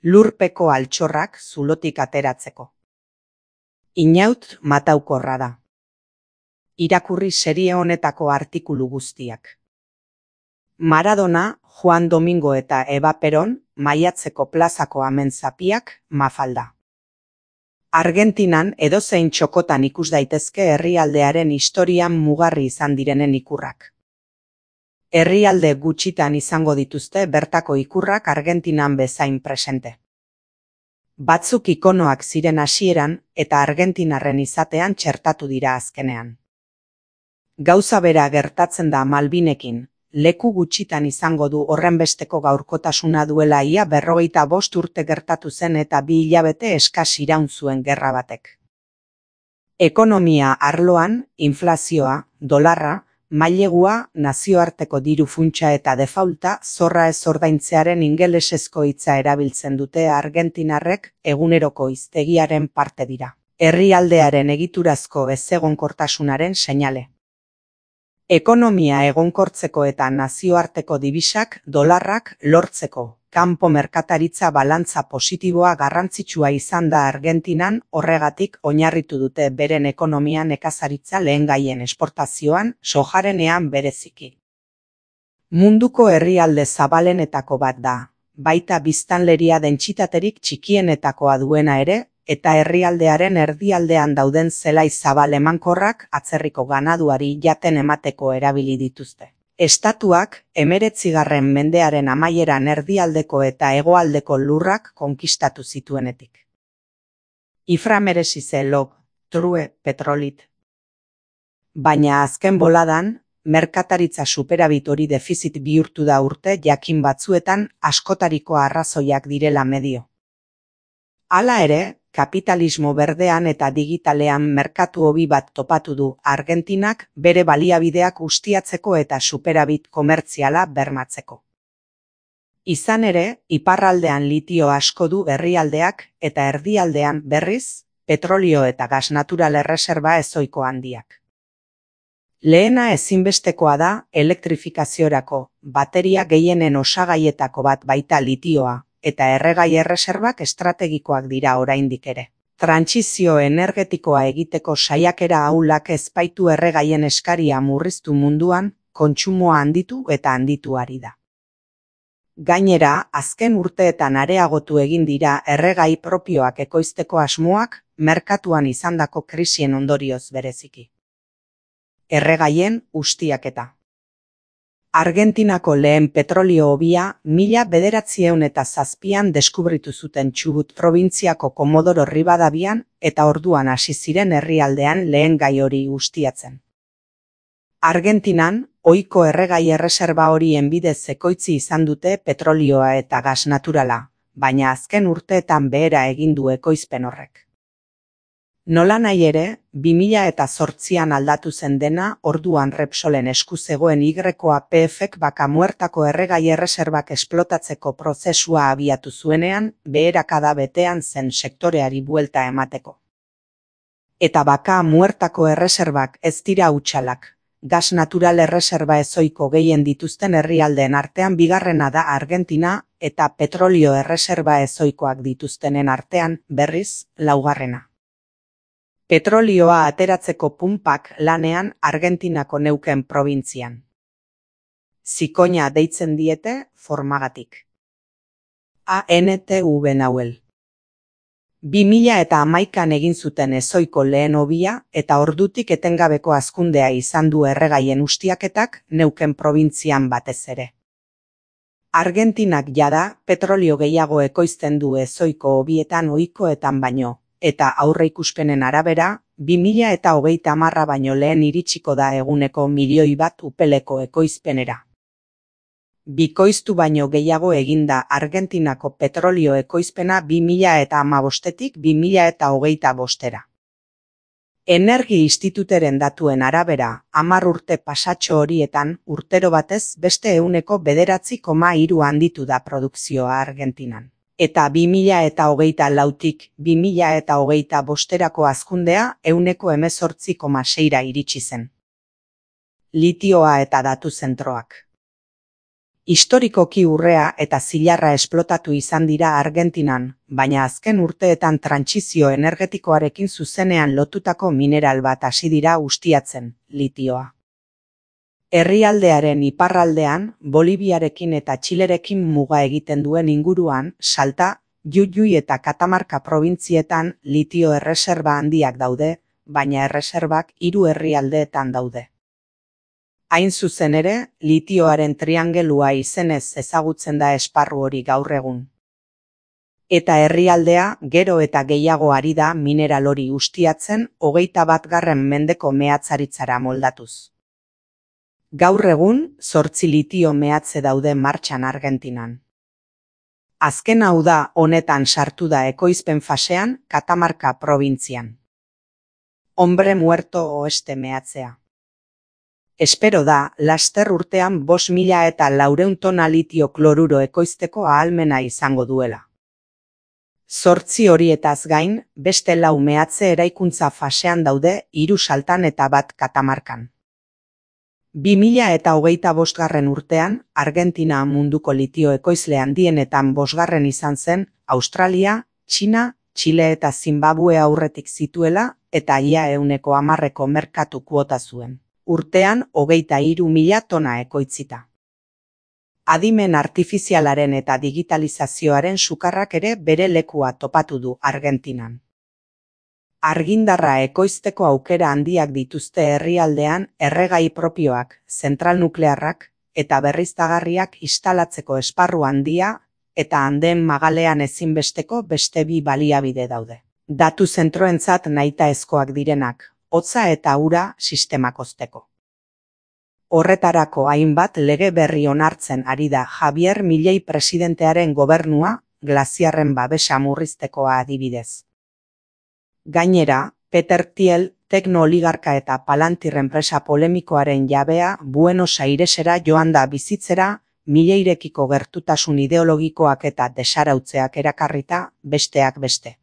Lurpeko altxorrak zulotik ateratzeko. Inaut mataukorra da. Irakurri serie honetako artikulu guztiak. Maradona, Juan Domingo eta Eva Peron, Maiatzeko plazako amenzapiak, Mafalda. Argentinan edozein txokotan ikus daitezke herrialdearen historian mugarri izan direnen ikurrak. Herrialde gutxitan izango dituzte bertako ikurrak Argentinan bezain presente. Batzuk ikonoak ziren hasieran eta argentinarren izatean txertatu dira azkenean. Gauza bera gertatzen da Malvinekin, leku gutxitan izango du horrenbesteko gaurkotasuna duela ia 45 urte gertatu zen eta 2 hilabete eskas iraun zuen gerra batek. Ekonomia arloan, inflazioa, dolarra, mailegua, nazioarteko diru funtsa eta defaulta zorra ez ordaintzearen ingelesezko hitza erabiltzen dute argentinarrek eguneroko hiztegiaren parte dira. Herrialdearen egiturazko ezegonkortasunaren seinale. Ekonomia egonkortzeko eta nazioarteko dibisak, dolarrak, lortzeko, kanpo merkataritza balantza positiboa garrantzitsua izan da Argentinan, horregatik oinarritu dute beren ekonomia nekazaritza lehengaien esportazioan, sojarenean bereziki. Munduko herrialde zabalenetako bat da, baita biztanleria dentsitaterik txikienetakoa duena ere, eta herrialdearen erdialdean dauden zelai zabal emankorrak atzerriko ganaduari jaten emateko erabili dituzte. Estatuak 19. mendearen amaieran erdialdeko eta hegoaldeko lurrak konkistatu zituenetik. Ifra merezi ze log, true petrolit. Baina azken boladan, merkataritza superabit hori defizit bihurtu da urte jakin batzuetan askotariko arrazoiak direla medio. Hala ere, kapitalismo berdean eta digitalean merkatu hobi bat topatu du Argentinak bere baliabideak ustiatzeko eta superabit komertziala bermatzeko. Izan ere, iparraldean litio asko du herrialdeak eta erdialdean berriz, petrolio eta gas natural erreserba ezohiko handiak. Lehena ezinbestekoa da elektrifikaziorako, bateria gehienen osagaietako bat baita litioa, eta erregai erreserbak estrategikoak dira oraindik ere. Trantsizio energetikoa egiteko saiakera ahulak ezbaitu erregaien eskaria murriztu munduan, kontsumoa handitu eta handitu ari da. Gainera, azken urteetan areagotu egin dira erregai propioak ekoizteko asmoak, merkatuan izandako krisien ondorioz bereziki. Erregaien ustiaketa. Argentinako lehen petrolio hobia 1907an deskubritu zuten Chubut probintziako Komodoro Rivadavian eta orduan hasi ziren herrialdean lehen gai hori ustiatzen. Argentinan, ohiko erregai erreserba horien bidez ekoitzi izan dute petrolioa eta gas naturala, baina azken urteetan behera egin du ekoizpen horrek. Nolanahi ere, 2008an aldatu zen dena orduan Repsolen esku zegoen YPF-ek Vaca Muertako erregai erreserbak esplotatzeko prozesua abiatu zuenean, beherakada betean zen sektoreari buelta emateko. Eta Vaca Muertako erreserbak ez dira hutsalak, gas natural erreserba ezohiko gehien dituzten herrialdeen artean bigarrena da Argentina eta petrolio erreserba ezohikoak dituztenen artean, berriz, laugarrena. Petrolioa ateratzeko punpak lanean Argentinako Neuquén probintzian. Zikoina deitzen diete formagatik. ANTV Nahuel. 2011an egin zuten ezohiko lehen hobia eta ordutik etengabeko hazkundea izan du erregaien ustiaketak Neuquén probintzian batez ere. Argentinak jada petrolio gehiago ekoizten du ezohiko hobietan ohikoetan baino. Eta aurreikuspenen arabera, 2030 baino lehen iritsiko da eguneko 1 milioi bat upeleko ekoizpenera. Bikoiztu baino gehiago eginda Argentinako petrolio ekoizpena 2015-tik 2025-era. Energi Instituteren datuen arabera, 10 urte pasatxo horietan, urtero batez beste 9,3 handitu da produkzioa Argentinan. Eta 2024tik 2025erako hazkundea 18,6ra iritsi zen. Litioa eta datu zentroak. Historikoki urrea eta zilarra esplotatu izan dira Argentinan, baina azken urteetan trantsizio energetikoarekin zuzenean lotutako mineral bat hasi dira ustiatzen, litioa. Herrialdearen iparraldean, Boliviarekin eta Txilerekin muga egiten duen inguruan, Salta, Jujuy eta Katamarka probintzietan litio erreserba handiak daude, baina erreserbak 3 herrialdeetan daude. Hain zuzen ere, litioaren triangelua izenez ezagutzen da esparru hori gaur egun. Eta herrialdea gero eta gehiago ari da mineral hori ustiatzen 21. mendeko mehatzaritzara moldatuz. Gaur egun, 8 litio mehatze daude martxan Argentinan. Azken hau da honetan sartu da ekoizpen fasean Katamarka probintzian. Hombre muerto oeste mehatzea. Espero da, laster urtean 5.400 tona litio kloruro ekoizteko ahalmena izango duela. 8 horietaz gain, beste 4 mehatze eraikuntza fasean daude 3 Saltan eta 1 Katamarkan. 2025. urtean, Argentina munduko litio ekoizle handienetan 5. izan zen, Australia, Txina, Txile eta Zimbabue aurretik zituela eta ia 10% merkatu kuota zuen. Urtean 23.000 tona ekoitzita. Adimen artifizialaren eta digitalizazioaren sukarrak ere bere lekua topatu du Argentinan. Argindarra ekoizteko aukera handiak dituzte herrialdean erregai propioak, zentral nuklearrak eta berriztagarriak instalatzeko esparru handia eta handeen magalean ezinbesteko beste 2 baliabide daude. Datu zentroentzat nahitaezkoak direnak, hotza eta ura sistemak hozteko. Horretarako hainbat lege berri onartzen ari da Javier Milei presidentearen gobernua, glaziarren babesa murriztekoa adibidez. Gainera, Peter Thiel, tekno-oligarka eta Palantir enpresa polemikoaren jabea Buenos Airesera joan da bizitzera, Mileirekiko gertutasun ideologikoak eta desarautzeak erakarrita, besteak beste.